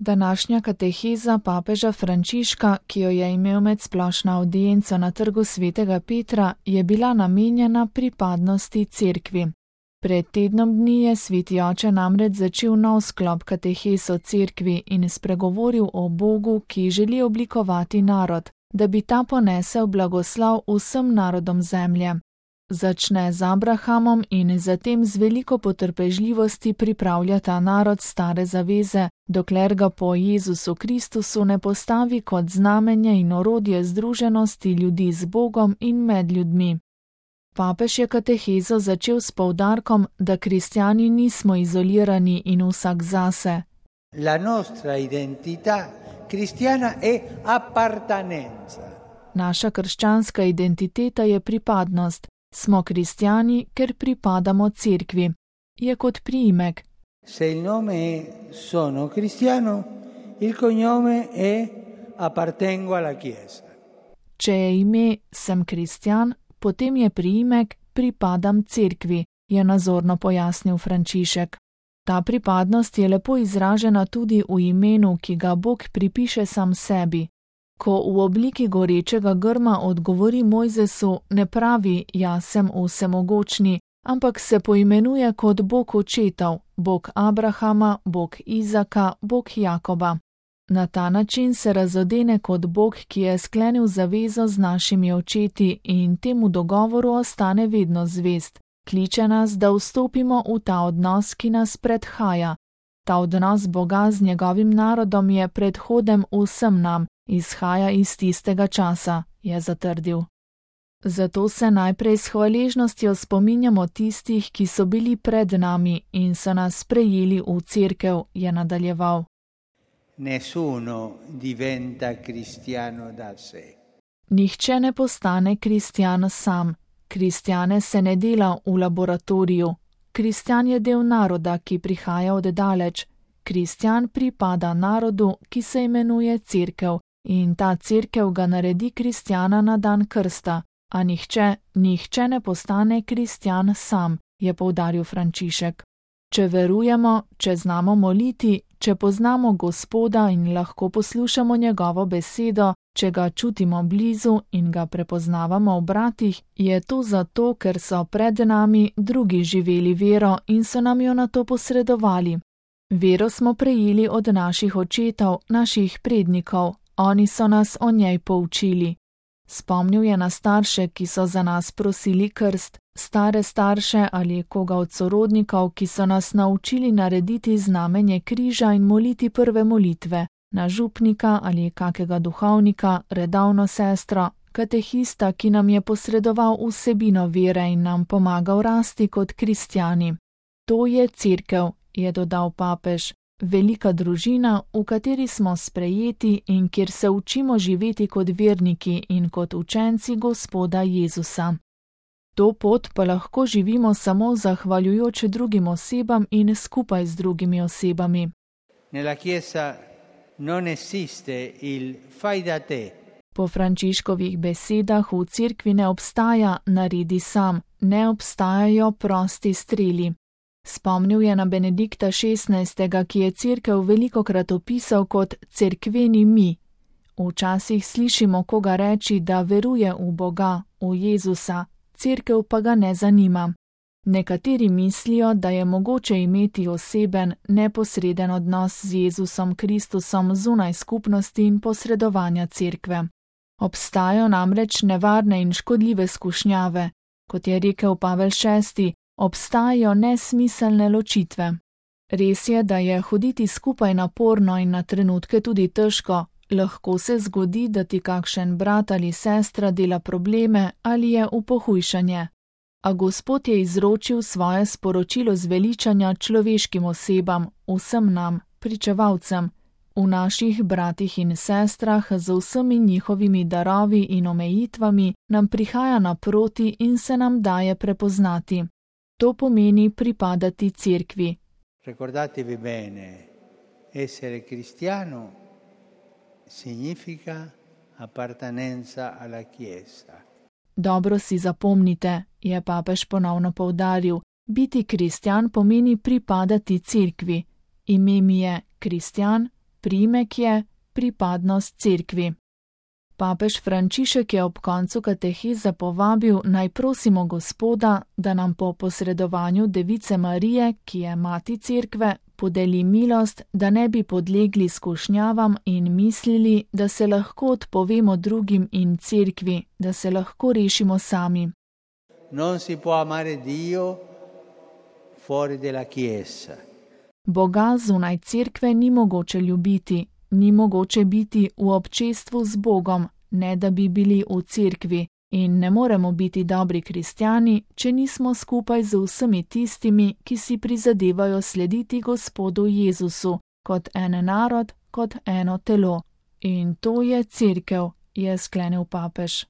Današnja kateheza papeža Frančiška, ki jo je imel med splošno avdienco na Trgu svetega Petra, je bila namenjena pripadnosti cerkvi. Pred tednom dni je sveti oče namreč začel nov sklop katehez o cerkvi in spregovoril o Bogu, ki želi oblikovati narod, da bi ta ponesel blagoslov vsem narodom zemlje. Začne z Abrahamom in zatem z veliko potrpežljivosti pripravlja ta narod stare zaveze, dokler ga po Jezusu Kristusu ne postavi kot znamenje in orodje združenosti ljudi z Bogom in med ljudmi. Papež je katehezo začel s poudarkom, da kristjani nismo izolirani in vsak zase. La nostra identità cristiana è appartenenza. Naša krščanska identiteta je pripadnost. Smo kristjani, ker pripadamo cerkvi. Je kot priimek. Se il nome è sono cristiano, il cognome è appartengo alla Chiesa. Če je ime sem kristjan, potem je priimek pripadam cerkvi, je nazorno pojasnil Frančišek. Ta pripadnost je lepo izražena tudi v imenu, ki ga Bog pripiše sam sebi. Ko v obliki gorečega grma odgovori Mojzesu, ne pravi, jaz sem vsemogočni, ampak se poimenuje kot Bog očetov, Bog Abrahama, Bog Izaka, Bog Jakoba. Na ta način se razodene kot Bog, ki je sklenil zavezo z našimi očeti in temu dogovoru ostane vedno zvest. Kliče nas, da vstopimo v ta odnos, ki nas predhaja. Ta odnos Boga z njegovim narodom je predhodem vsem nam, izhaja iz tistega časa, je zatrdil. Zato se najprej s hvaležnostjo spominjamo tistih, ki so bili pred nami in so nas sprejeli v cerkev, je nadaljeval. Nessuno diventa cristiano da sé. Nihče ne postane kristjan sam. Kristjane se ne dela v laboratoriju. Kristjan je del naroda, ki prihaja od daleč. Kristjan pripada narodu, ki se imenuje cerkev, in ta cerkev ga naredi kristjana na dan krsta, a nihče ne postane kristjan sam, je poudaril Frančišek. Če verujemo, če znamo moliti, če poznamo Gospoda in lahko poslušamo njegovo besedo, če ga čutimo blizu in ga prepoznavamo v bratih, je to zato, ker so pred nami drugi živeli vero in so nam jo nato posredovali. Vero smo prejeli od naših očetov, naših prednikov, oni so nas o njej poučili. Spomnil je na starše, ki so za nas prosili krst, stare starše ali koga od sorodnikov, ki so nas naučili narediti znamenje križa in moliti prve molitve, na župnika ali kakega duhovnika, redovno sestro, katehista, ki nam je posredoval vsebino vere in nam pomagal rasti kot kristjani. To je cerkev, je dodal papež, velika družina, v kateri smo sprejeti in kjer se učimo živeti kot verniki in kot učenci Gospoda Jezusa. To pot pa lahko živimo samo zahvaljujoč drugim osebam in skupaj z drugimi osebami. Nella Chiesa non esiste il fai da te. Po Frančiškovih besedah v cerkvi ne obstaja naredi sam, ne obstajajo prosti streli. Spomnil je na Benedikta XVI., ki je cerkev velikokrat opisal kot cerkveni mi. Včasih slišimo koga reči, da veruje v Boga, v Jezusa, cerkev pa ga ne zanima. Nekateri mislijo, da je mogoče imeti oseben, neposreden odnos z Jezusom Kristusom zunaj skupnosti in posredovanja cerkve. Obstajajo namreč nevarne in škodljive skušnjave. Kot je rekel Pavel VI., obstajajo nesmiselne ločitve. Res je, da je hoditi skupaj naporno in na trenutke tudi težko. Lahko se zgodi, da ti kakšen brat ali sestra dela probleme ali je v pohujšanje. A Gospod je izročil svoje sporočilo zveličanja človeškim osebam, vsem nam, pričevalcem, v naših bratih in sestrah z vsemi njihovimi darovi in omejitvami nam prihaja naproti in se nam daje prepoznati. To pomeni pripadati cerkvi. Ricordatevi bene, essere cristiano significa appartenenza alla Chiesa. Dobro si zapomnite, je papež ponovno poudaril, biti kristjan pomeni pripadati cerkvi. Ime mi je kristjan, priimek je pripadnost cerkvi. Papež Frančišek je ob koncu kateheze povabil, naj prosimo Gospoda, da nam po posredovanju Device Marije, ki je mati cerkve, podeli milost, da ne bi podlegli skušnjavam in mislili, da se lahko odpovemo drugim in cerkvi, da se lahko rešimo sami. Non si può amare Dio fuori della Chiesa. Boga zunaj cerkve ni mogoče ljubiti, ni mogoče biti v občestvu z Bogom, ne da bi bili v cerkvi, in ne moremo biti dobri kristjani, če nismo skupaj z vsemi tistimi, ki si prizadevajo slediti Gospodu Jezusu, kot en narod, kot eno telo. In to je cerkev, je sklenil papež.